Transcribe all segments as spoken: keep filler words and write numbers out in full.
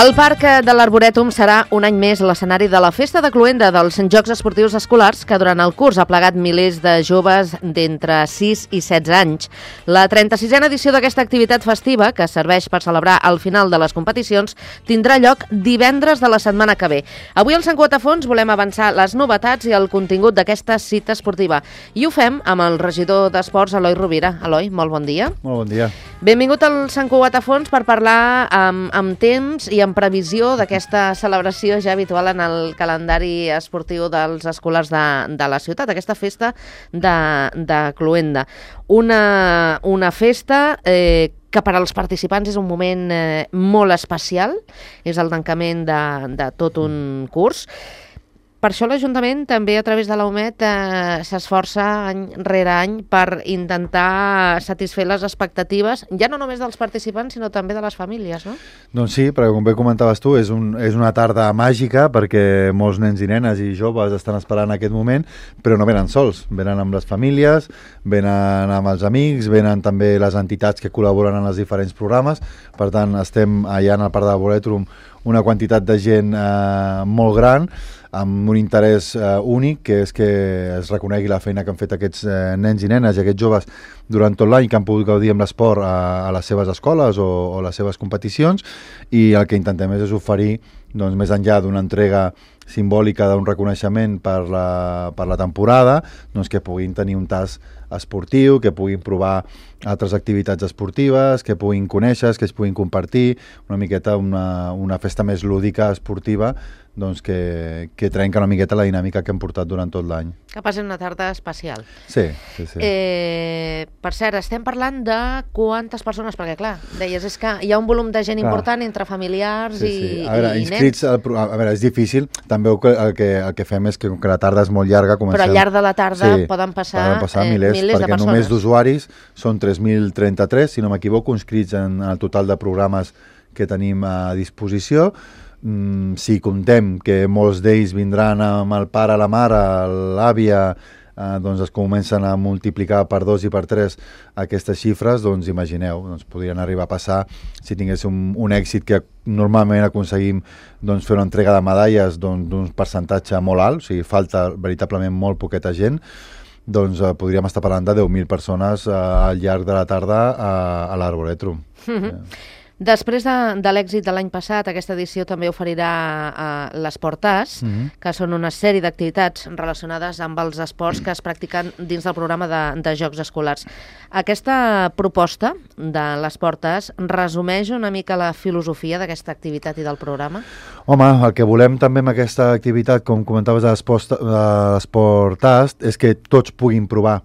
El Parc de l'Arborètum serà un any més l'escenari de la Festa de Cloenda dels Jocs Esportius Escolars que durant el curs ha plegat milers de joves d'entre sis i setze anys. La trenta-sisena edició d'aquesta activitat festiva, que serveix per celebrar el final de les competicions, tindrà lloc divendres de la setmana que ve. Avui al Sant Cugat a Fons volem avançar les novetats i el contingut d'aquesta cita esportiva. I ho fem amb el regidor d'Esports, Eloi Rovira. Eloi, molt bon dia. Molt bon dia. Benvingut al Sant Cugat a Fons per parlar amb, amb temps i en previsió d'aquesta celebració ja habitual en el calendari esportiu dels escolars de, de la ciutat, aquesta festa de, de Cloenda. Una, una festa eh, que per als participants és un moment eh, molt especial, és el tancament de, de tot un curs. Per això l'Ajuntament també a través de la U M E T eh, s'esforça any rere any per intentar satisfer les expectatives, ja no només dels participants, sinó també de les famílies, no? Doncs sí, perquè com bé comentaves tu, és, un, és una tarda màgica perquè molts nens i nenes i joves estan esperant aquest moment, però no venen sols, venen amb les famílies, venen amb els amics, venen també les entitats que col·laboren en els diferents programes, per tant estem allà en el Parc de l'Arborètum una quantitat de gent eh, molt gran, amb un interès eh, únic, que és que es reconegui la feina que han fet aquests eh, nens i nenes i aquests joves durant tot l'any que han pogut gaudir amb l'esport a, a les seves escoles o, o les seves competicions, i el que intentem és oferir, doncs, més enllà d'una entrega simbòlica d'un reconeixement per la, per la temporada, doncs, que puguin tenir un tast esportiu, que puguin provar altres activitats esportives, que puguin conèixer, que es puguin compartir, una miqueta una, una festa més lúdica, esportiva, doncs que, que trenca una miqueta la dinàmica que hem portat durant tot l'any. Que passi una tarda especial. Sí, sí, sí. Eh, per cert, estem parlant de quantes persones, perquè clar, deies, és que hi ha un volum de gent clar. important entre familiars sí, sí. i, a veure, i inscrits, nens. A veure, és difícil, també el que, el que, el que fem és que, que la tarda és molt llarga, comencem... Però al llarg de la tarda sí, poden passar, poden passar eh, milers, milers de perquè persones. Només d'usuaris són tres mil trenta-tres, si no m'equivoco, inscrits en el total de programes que tenim a disposició. Mm, si comptem que molts d'ells vindran amb el pare, la mare, l'àvia, eh, doncs es comencen a multiplicar per dos i per tres aquestes xifres, doncs imagineu, doncs podrien arribar a passar, si tingués un, un èxit que normalment aconseguim doncs, fer una entrega de medalles d'un doncs, percentatge molt alt, o sigui, falta veritablement molt poqueta gent, doncs eh, podríem estar parlant de deu mil persones eh, al llarg de la tarda a, a l'Arborètum. Mm-hmm. eh. Després de, de l'èxit de l'any passat, aquesta edició també oferirà uh, l'Esportàs, mm-hmm. que són una sèrie d'activitats relacionades amb els esports que es practiquen dins del programa de, de Jocs Escolars. Aquesta proposta de l'Esportàs resumeix una mica la filosofia d'aquesta activitat i del programa? Home, el que volem també amb aquesta activitat, com comentaves de l'Esportàs, és que tots puguin provar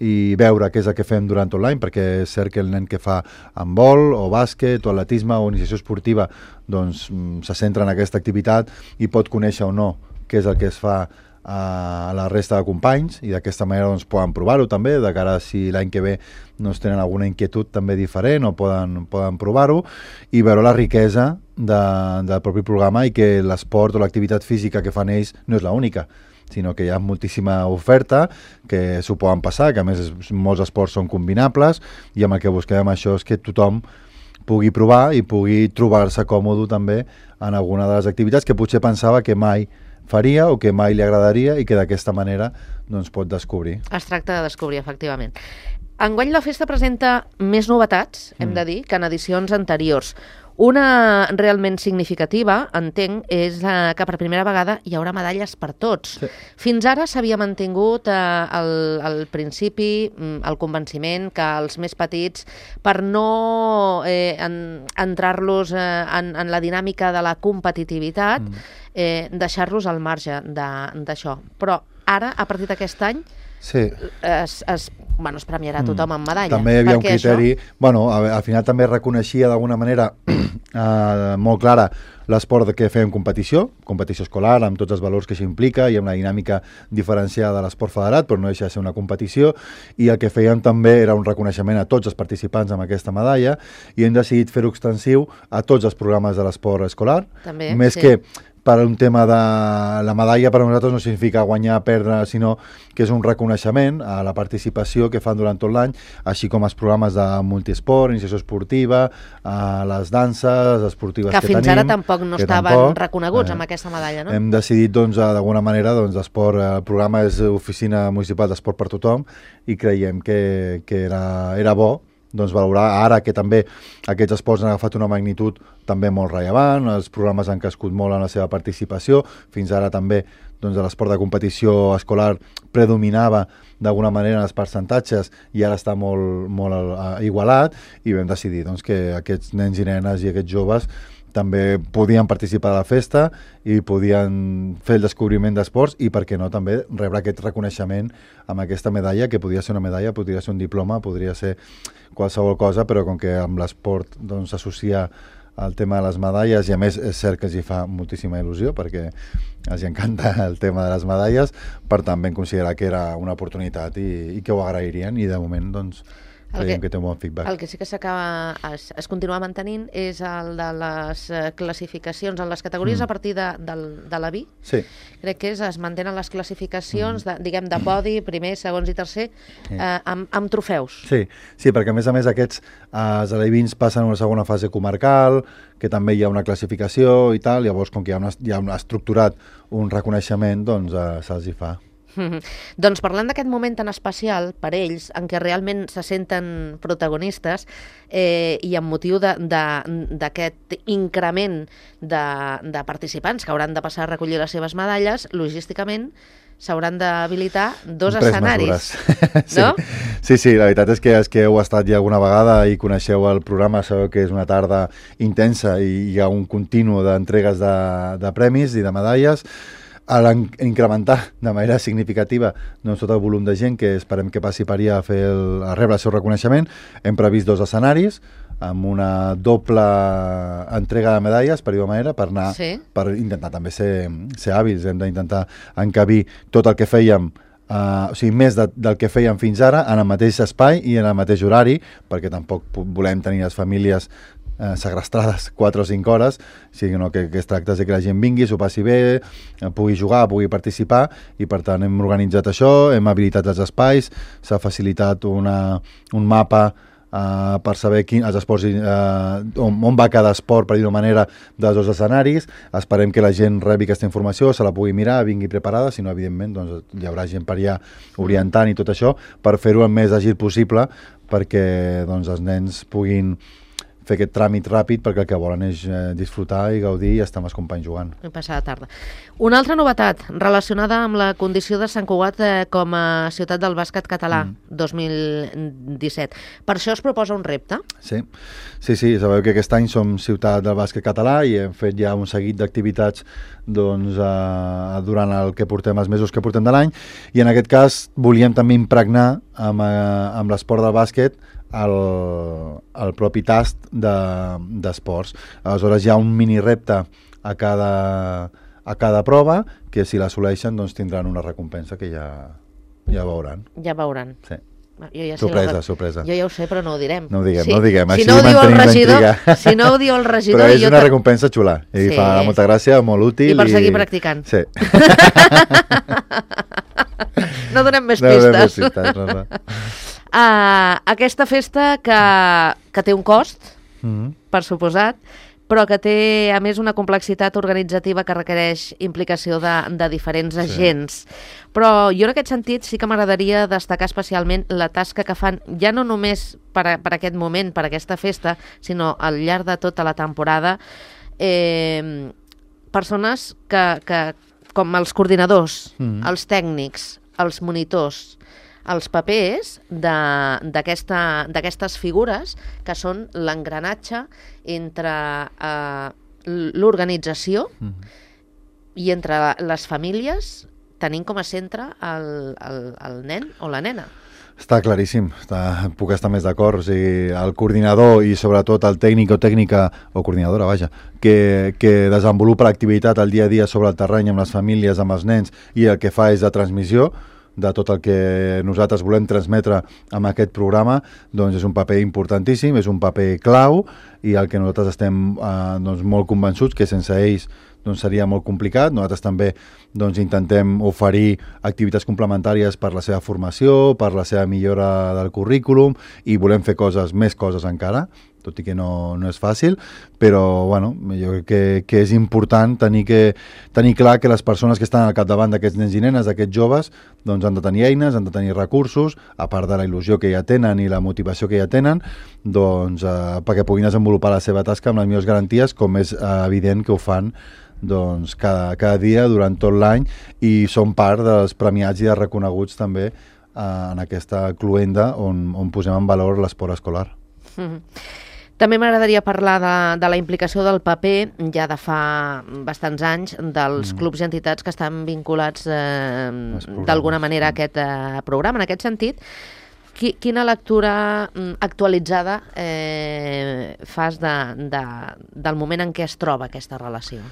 i veure què és el que fem durant tot l'any, perquè és cert que el nen que fa handbol o bàsquet o atletisme o iniciació esportiva doncs se centra en aquesta activitat i pot conèixer o no què és el que es fa a la resta de companys, i d'aquesta manera doncs, poden provar-ho també, de cara a si l'any que ve doncs, tenen alguna inquietud també diferent o poden, poden provar-ho, i veure la riquesa de, del propi programa i que l'esport o l'activitat física que fan ells no és l'única, sinó que hi ha moltíssima oferta que s'ho poden passar, que a més molts esports són combinables, i amb el que busquem això és que tothom pugui provar i pugui trobar-se còmode també en alguna de les activitats que potser pensava que mai faria o que mai li agradaria i que d'aquesta manera doncs, pot descobrir. Es tracta de descobrir, efectivament. Enguany la festa presenta més novetats, hem mm. de dir, que en edicions anteriors. Una realment significativa, entenc, és eh, que per primera vegada hi haurà medalles per tots. Sí. Fins ara s'havia mantingut eh, el, el principi, el convenciment que els més petits, per no eh, en, entrar-los eh, en, en la dinàmica de la competitivitat, mm. eh, deixar-los al marge d'això. Però ara, a partir d'aquest any, sí. es, es, bueno, es premiarà tothom amb medalla. També hi havia un criteri... Això... Bueno, al final també reconeixia d'alguna manera eh, molt clara l'esport que fèiem competició, competició escolar, amb tots els valors que això implica i amb la dinàmica diferenciada de l'esport federat, però no deixa de ser una competició, i el que fèiem també era un reconeixement a tots els participants amb aquesta medalla, i hem decidit fer-ho extensiu a tots els programes de l'esport escolar, també, més sí. que per un tema de... La medalla per a nosaltres no significa guanyar, perdre, sinó que és un reconeixement a la participació que fan durant tot l'any, així com els programes de multiesport, iniciació esportiva, a les danses esportives que, que fins tenim. ara tampoc no estaven tampoc, reconeguts eh, amb aquesta medalla, no? Hem decidit, doncs, d'alguna manera, doncs, esport, el programa és Oficina Municipal d'Esport per Tothom i creiem que, que era, era bo doncs valorar ara que també aquests esports han agafat una magnitud també molt rellevant, els programes han crescut molt en la seva participació, fins ara també doncs, l'esport de competició escolar predominava d'alguna manera en els percentatges i ara està molt, molt uh, igualat i vam decidir doncs, que aquests nens i nenes i aquests joves també podien participar de la festa i podien fer el descobriment d'esports i, per què no, també rebre aquest reconeixement amb aquesta medalla, que podria ser una medalla, podria ser un diploma, podria ser qualsevol cosa, però com que amb l'esport doncs, s'associa al tema de les medalles i a més és cert que els hi fa moltíssima il·lusió perquè els encanta el tema de les medalles, per tant vam considerar que era una oportunitat i, i que ho agrairien i de moment doncs creiem que, que té un bon feedback. El que sí que s'acaba, es, es continua mantenint és el de les classificacions en les categories mm. a partir de, de, de la B I. Sí. Crec que és, es mantenen les classificacions, mm. de, diguem, de podi, primer, segons i tercer, sí. eh, amb, amb trofeus. Sí, sí, perquè a més a més aquests eh, els alevins passen a una segona fase comarcal, que també hi ha una classificació i tal, llavors com que hi ha, una, hi ha una estructurat un reconeixement, doncs eh, se'ls hi fa. Mm-hmm. Doncs parlant d'aquest moment tan especial per ells, en què realment se senten protagonistes eh, i amb motiu d'aquest increment de, de participants que hauran de passar a recollir les seves medalles, logísticament s'hauran d'habilitar dos Pres escenaris. sí. No? sí, sí, la veritat és que els que heu estat ja alguna vegada i coneixeu el programa sabeu que és una tarda intensa i hi ha un continu d'entregues de, de premis i de medalles. A incrementar de manera significativa doncs, tot el volum de gent que esperem que passi per allà a, fer el, a rebre el seu reconeixement, hem previst dos escenaris amb una doble entrega de medalles, per dir-ho manera, per, anar, sí. per intentar també ser, ser hàbils, hem d'intentar encabir tot el que fèiem, uh, o sigui, més de, del que fèiem fins ara en el mateix espai i en el mateix horari, perquè tampoc volem tenir les famílies Eh, segrestrades quatre o cinc hores, sinó que, que es tracta de que la gent vingui, s'ho passi bé, eh, pugui jugar, pugui participar, i per tant hem organitzat això, hem habilitat els espais, s'ha facilitat una, un mapa eh, per saber quin, els esports, eh, on, on va cada esport, per dir-ho manera, dels dos escenaris. Esperem que la gent rebi aquesta informació, se la pugui mirar, vingui preparada, si no, evidentment, doncs, hi haurà gent per allà orientant i tot això, per fer-ho el més àgil possible, perquè doncs, els nens puguin fer aquest tràmit ràpid, perquè el que volen és eh, disfrutar i gaudir i estar amb els companys jugant. I passar la tarda. Una altra novetat relacionada amb la condició de Sant Cugat eh, com a ciutat del bàsquet català mm. dos mil disset. Per això es proposa un repte? Sí, sí, sí. Sabeu que aquest any som ciutat del bàsquet català i hem fet ja un seguit d'activitats doncs, eh, durant el que portem, els mesos que portem de l'any, i en aquest cas volíem també impregnar amb, eh, amb l'esport del bàsquet el, el propi tast d'esports. De, Aleshores hi ha un mini repte a cada, a cada prova que si l'assoleixen doncs tindran una recompensa que ja, ja veuran. Ja veuran. Sí. Jo ja sorpresa, sé, sorpresa. Jo ja ho sé, però no ho direm. No ho diguem, sí. no ho diguem. Si Així no ho diu el regidor, si no ho diu el regidor... Però és una te... recompensa xula. I sí. fa molta gràcia, molt útil. I per seguir i... practicant. Sí. No donem més no pistes. Donem més pistes no, no. Uh, aquesta festa que, que té un cost, mm-hmm. per suposat, però que té, a més, una complexitat organitzativa que requereix implicació de, de diferents sí. agents. Però jo, en aquest sentit, sí que m'agradaria destacar especialment la tasca que fan, ja no només per, a, per aquest moment, per aquesta festa, sinó al llarg de tota la temporada, eh, persones que, que, com els coordinadors, mm-hmm. els tècnics, els monitors, els papers d'aquestes figures que són l'engranatge entre eh, l'organització mm-hmm. i entre les famílies, tenint com a centre el, el, el nen o la nena. Està claríssim, està, puc estar més d'acord. O sigui, el coordinador i sobretot el tècnic o tècnica, o coordinadora, vaja, que, que desenvolupa l'activitat al dia a dia sobre el terreny amb les famílies, amb els nens, i el que fa és la transmissió, de tot el que nosaltres volem transmetre amb aquest programa, doncs és un paper importantíssim, és un paper clau, i el que nosaltres estem eh, doncs molt convençuts que sense ells doncs seria molt complicat. Nosaltres també doncs, intentem oferir activitats complementàries per la seva formació, per la seva millora del currículum, i volem fer coses, més coses encara, tot i que no, no és fàcil, però bueno, jo crec que, que és important tenir, que, tenir clar que les persones que estan al capdavant d'aquests nens i nenes, d'aquests joves, doncs han de tenir eines, han de tenir recursos, a part de la il·lusió que ja tenen i la motivació que ja tenen, doncs eh, perquè puguin desenvolupar la seva tasca amb les millors garanties, com és eh, evident que ho fan doncs, cada, cada dia durant tot l'any, i són part dels premiats i dels reconeguts també eh, en aquesta cluenda on, on posem en valor l'esport escolar. Mm-hmm. També m'agradaria parlar de, de la implicació del paper, ja de fa bastants anys, dels mm. clubs i entitats que estan vinculats eh, d'alguna manera a aquest eh, programa. En aquest sentit, qui, quina lectura actualitzada eh, fas de, de, del moment en què es troba aquesta relació?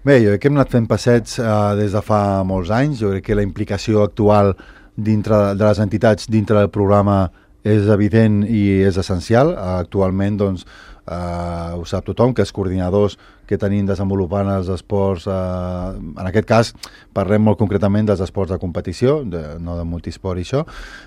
Bé, jo crec que hem anat fent passets eh, des de fa molts anys. Jo crec que la implicació actual dintre de les entitats dintre del programa és evident i és essencial. Actualment, doncs, eh, ho sap tothom, que els coordinadors que tenim desenvolupant els esports, eh, en aquest cas parlem molt concretament dels esports de competició, de, no de multisport i això,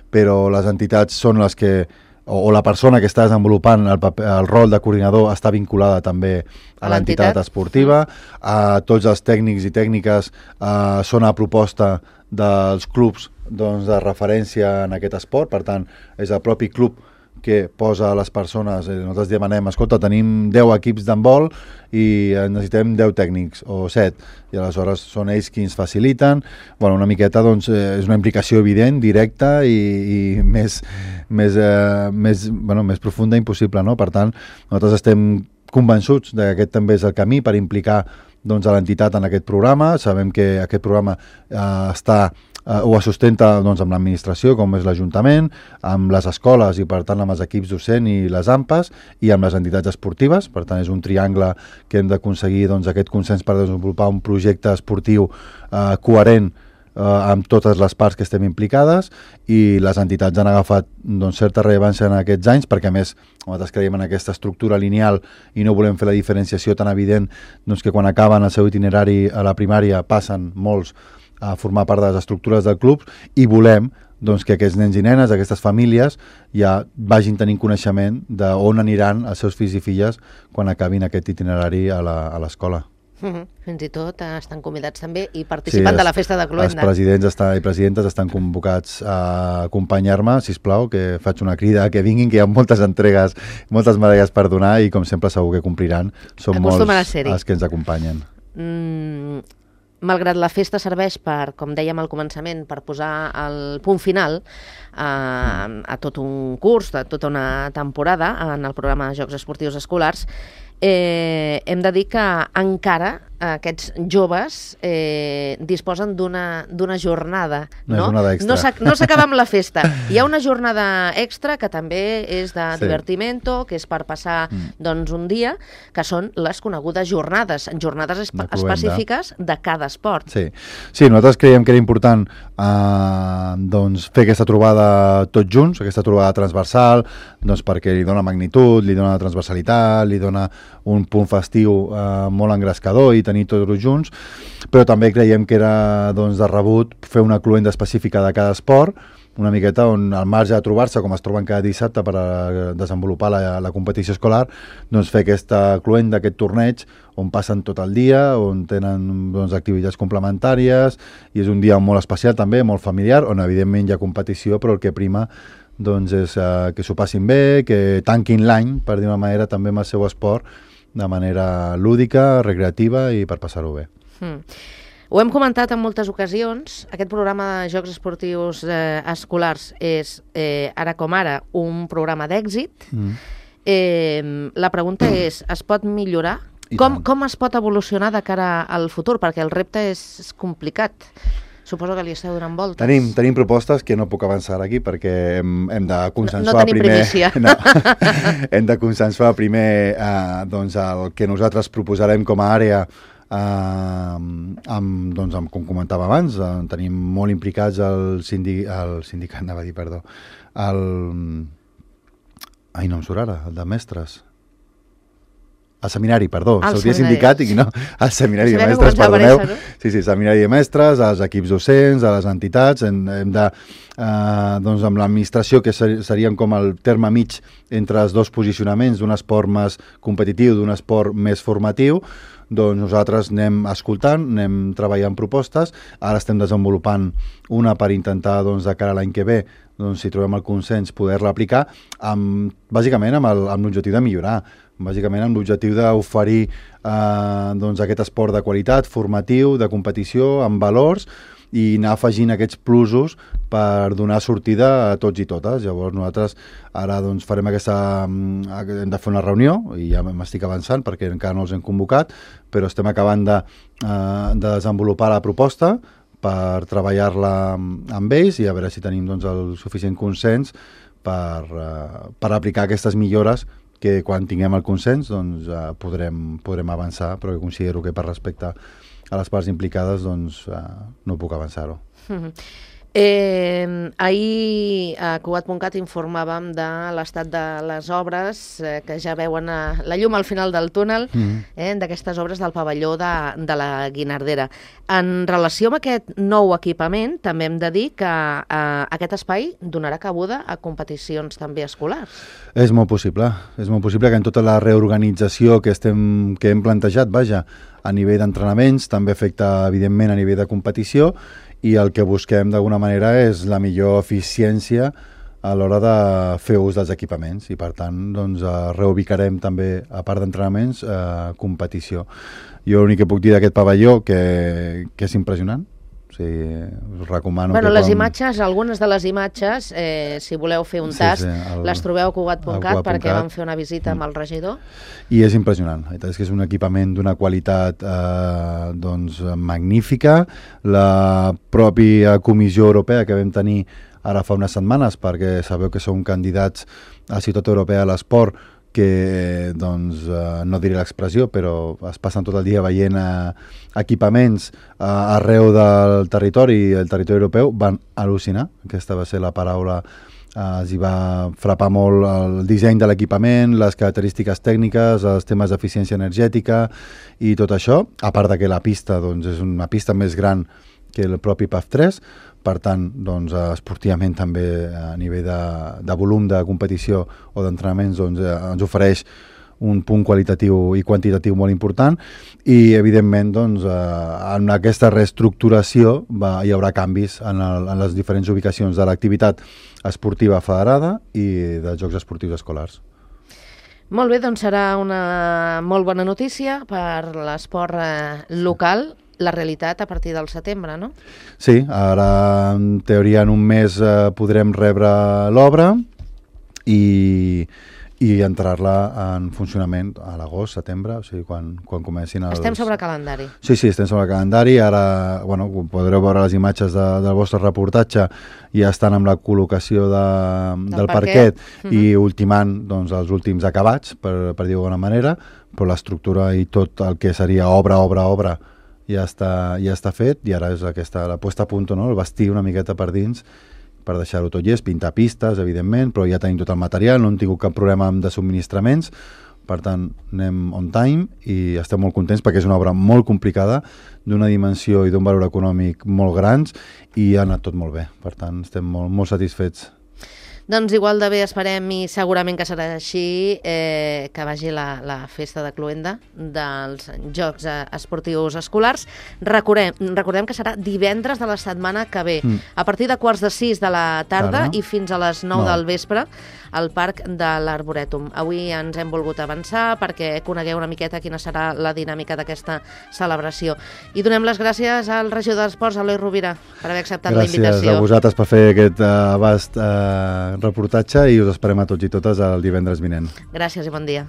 però les entitats són les que, o, o la persona que està desenvolupant el, paper, el rol de coordinador està vinculada també a l'entitat esportiva. Eh, tots els tècnics i tècniques eh, són a proposta dels clubs doncs, de referència en aquest esport, per tant, és el propi club que posa a les persones, eh, nosaltres demanem, escolta, tenim deu equips d'handbol i necessitem deu tècnics o set, i aleshores són ells qui ens faciliten. Bueno, una miqueta doncs, eh, és una implicació evident, directa i, i més, més, eh, més, bueno, més profunda impossible, no? Per tant, nosaltres estem convençuts que aquest també és el camí per implicar doncs, a l'entitat en aquest programa. Sabem que aquest programa eh, està Uh, ho sustenta doncs, amb l'administració, com és l'Ajuntament, amb les escoles i, per tant, amb els equips docents i les A M P A S, i amb les entitats esportives. Per tant, és un triangle que hem d'aconseguir doncs, aquest consens per desenvolupar un projecte esportiu uh, coherent uh, amb totes les parts que estem implicades, i les entitats han agafat doncs, certa rellevància en aquests anys, perquè, a més, nosaltres creiem en aquesta estructura lineal i no volem fer la diferenciació tan evident doncs, que quan acaben el seu itinerari a la primària passen molts a formar part de les estructures del club, i volem doncs, que aquests nens i nenes, aquestes famílies, ja vagin tenint coneixement d'on aniran els seus fills i filles quan acabin aquest itinerari a l'escola. Mm-hmm. Fins i tot eh, estan convidats també i participant sí, de la festa de Cluenda. Els presidents està, i presidentes estan convocats a acompanyar-me, sisplau, que faig una crida que vinguin, que hi ha moltes entregues, moltes medalles per donar, i com sempre segur que compliran. Són molts els que ens acompanyen. Mm, malgrat la festa serveix per, com dèiem al començament, per posar el punt final a, a tot un curs, a tota una temporada en el programa de Jocs Esportius Escolars, eh, hem de dir que encara aquests joves eh, disposen d'una d'una jornada, una no? jornada extra. No s'acaba amb la festa. Hi ha una jornada extra que també és de sí. divertimento, que és per passar mm. doncs, un dia, que són les conegudes jornades, jornades espe específiques de cada esport. Sí. sí, nosaltres creiem que era important eh, doncs, fer aquesta trobada tots junts, aquesta trobada transversal, doncs, perquè li dona magnitud, li dona transversalitat, li dona un punt festiu eh, molt engrescador i tenir tots junts, però també creiem que era doncs, de rebut fer una cluenda específica de cada esport, una miqueta on al marge de trobar-se, com es troben cada dissabte per a desenvolupar la, la competició escolar, doncs fer aquesta cluenda, aquest torneig, on passen tot el dia, on tenen doncs, activitats complementàries, i és un dia molt especial també, molt familiar, on evidentment hi ha competició, però el que prima doncs, és uh, que s'ho passin bé, que tanquin l'any, per dir una manera, també amb el seu esport, de manera lúdica, recreativa i per passar-ho bé. Mm. Ho hem comentat en moltes ocasions, aquest programa de Jocs Esportius eh, Escolars és, eh, ara com ara, un programa d'èxit. Mm. Eh, la pregunta mm. és, es pot millorar? Com, com es pot evolucionar de cara al futur? Perquè el repte és, és complicat. Suposo que li esteu donant voltes. Tenim, tenim propostes que no puc avançar aquí perquè hem, hem de consensuar no, no tenim primer... primícia. No, hem de consensuar primer eh, doncs el que nosaltres proposarem com a àrea amb, doncs, amb, com comentava abans, eh, tenim molt implicats el, sindi, el sindicat, anava a dir, perdó, el... Ai, no em surt ara, el de mestres. El seminari, perdó, el sortia seminari. sindicat i no, el seminari de Sabia que mestres, començava perdoneu. per essa, no? Sí, sí, seminari de mestres, als equips docents, a les entitats, hem, hem de, eh, doncs amb l'administració, que ser, serien com el terme mig entre els dos posicionaments, d'un esport més competitiu, d'un esport més formatiu, doncs nosaltres anem escoltant, anem treballant propostes, ara estem desenvolupant una per intentar, doncs, de cara a l'any que ve, doncs, si trobem el consens, poder-la aplicar, amb, bàsicament amb el- amb l'objectiu de millorar, bàsicament amb l'objectiu d'oferir eh, doncs aquest esport de qualitat, formatiu, de competició, amb valors, i anar afegint aquests plusos per donar sortida a tots i totes. Llavors nosaltres ara doncs, farem aquesta... hem de fer una reunió, i ja m'estic avançant perquè encara no els hem convocat, però estem acabant de, eh, de desenvolupar la proposta per treballar-la amb ells i a veure si tenim doncs, el suficient consens per, eh, per aplicar aquestes millores que quan tinguem el consens doncs, eh, podrem, podrem avançar, però que considero que per respecte a les parts implicades doncs, eh, no puc avançar-ho. Mhm. Eh, ahir a Cugat punt cat informàvem de l'estat de les obres eh, que ja veuen eh, la llum al final del túnel, Mhm. eh, d'aquestes obres del pavelló de, de la Guinardera. En relació amb aquest nou equipament, també hem de dir que eh, aquest espai donarà cabuda a competicions també escolars. És molt possible, és molt possible que en tota la reorganització que, estem, que hem plantejat, vaja, a nivell d'entrenaments, també afecta evidentment a nivell de competició, i el que busquem d'alguna manera és la millor eficiència a l'hora de fer ús dels equipaments i per tant doncs, eh, reubicarem també, a part d'entrenaments, eh, competició. Jo l'únic que puc dir d'aquest pavelló que, que és impressionant. O sigui, us recomano Bueno, que les quan... imatges, algunes de les imatges, eh, si voleu fer un Sí, tast, sí, el- les trobeu a Cugat punt cat a Cugat punt perquè cat. vam fer una visita amb el regidor. I és impressionant, la veritat és que és un equipament d'una qualitat eh, doncs, magnífica. La pròpia Comissió Europea que vam tenir ara fa unes setmanes, perquè sabeu que som candidats a Ciutat Europea de l'Esport, que doncs, eh, no diré l'expressió, però es passen tot el dia veient eh, equipaments eh, arreu del territori i el territori europeu, van al·lucinar. Aquesta va ser la paraula. Uh, els hi va frapar molt el disseny de l'equipament, les característiques tècniques, els temes d'eficiència energètica i tot això, a part de que la pista doncs, és una pista més gran que el propi P A F tres, per tant, doncs, esportivament també a nivell de, de volum de competició o d'entrenaments doncs, eh, ens ofereix un punt qualitatiu i quantitatiu molt important i, evidentment, doncs, eh, en aquesta reestructuració va, hi haurà canvis en, el, en les diferents ubicacions de l'activitat esportiva federada i dels Jocs Esportius Escolars. Molt bé, doncs serà una molt bona notícia per l'esport eh, local, la realitat a partir del setembre, no? Sí, ara en teoria en un mes eh, podrem rebre l'obra i, i entrar-la en funcionament a l'agost, setembre, o sigui, quan, quan comencin els... Estem sobre calendari. Sí, sí, estem sobre el calendari. Ara, bueno, podreu veure les imatges de, del vostre reportatge, ja estan amb la col·locació de, del, del parquet, parquet i uh-huh. ultimant doncs, els últims acabats, per, per dir-ho d'alguna manera, però l'estructura i tot el que seria obra, obra, obra, ja està, ja està fet i ara és aquesta, la posta a punt, no? El vestir una miqueta per dins per deixar-ho tot llest, pintar pistes, evidentment, però ja tenim tot el material, no hem tingut cap problema de subministraments, per tant, anem on time i estem molt contents perquè és una obra molt complicada, d'una dimensió i d'un valor econòmic molt grans i ha anat tot molt bé, per tant, estem molt, molt satisfets. Doncs igual de bé esperem i segurament que serà així eh, que vagi la, la festa de Cluenda dels Jocs eh, Esportius Escolars. Recordem, recordem que serà divendres de la setmana que ve, mm. a partir de quarts de sis de la tarda Ara. i fins a les nou no. del vespre al Parc de l'Arborètum. Avui ens hem volgut avançar perquè conegueu una miqueta quina serà la dinàmica d'aquesta celebració. I donem les gràcies al regidor d'Esports, Eloi Rovira, per haver acceptat gràcies la invitació. Gràcies a vosaltres per fer aquest uh, abast uh, reportatge i us esperem a tots i totes el divendres vinent. Gràcies i bon dia.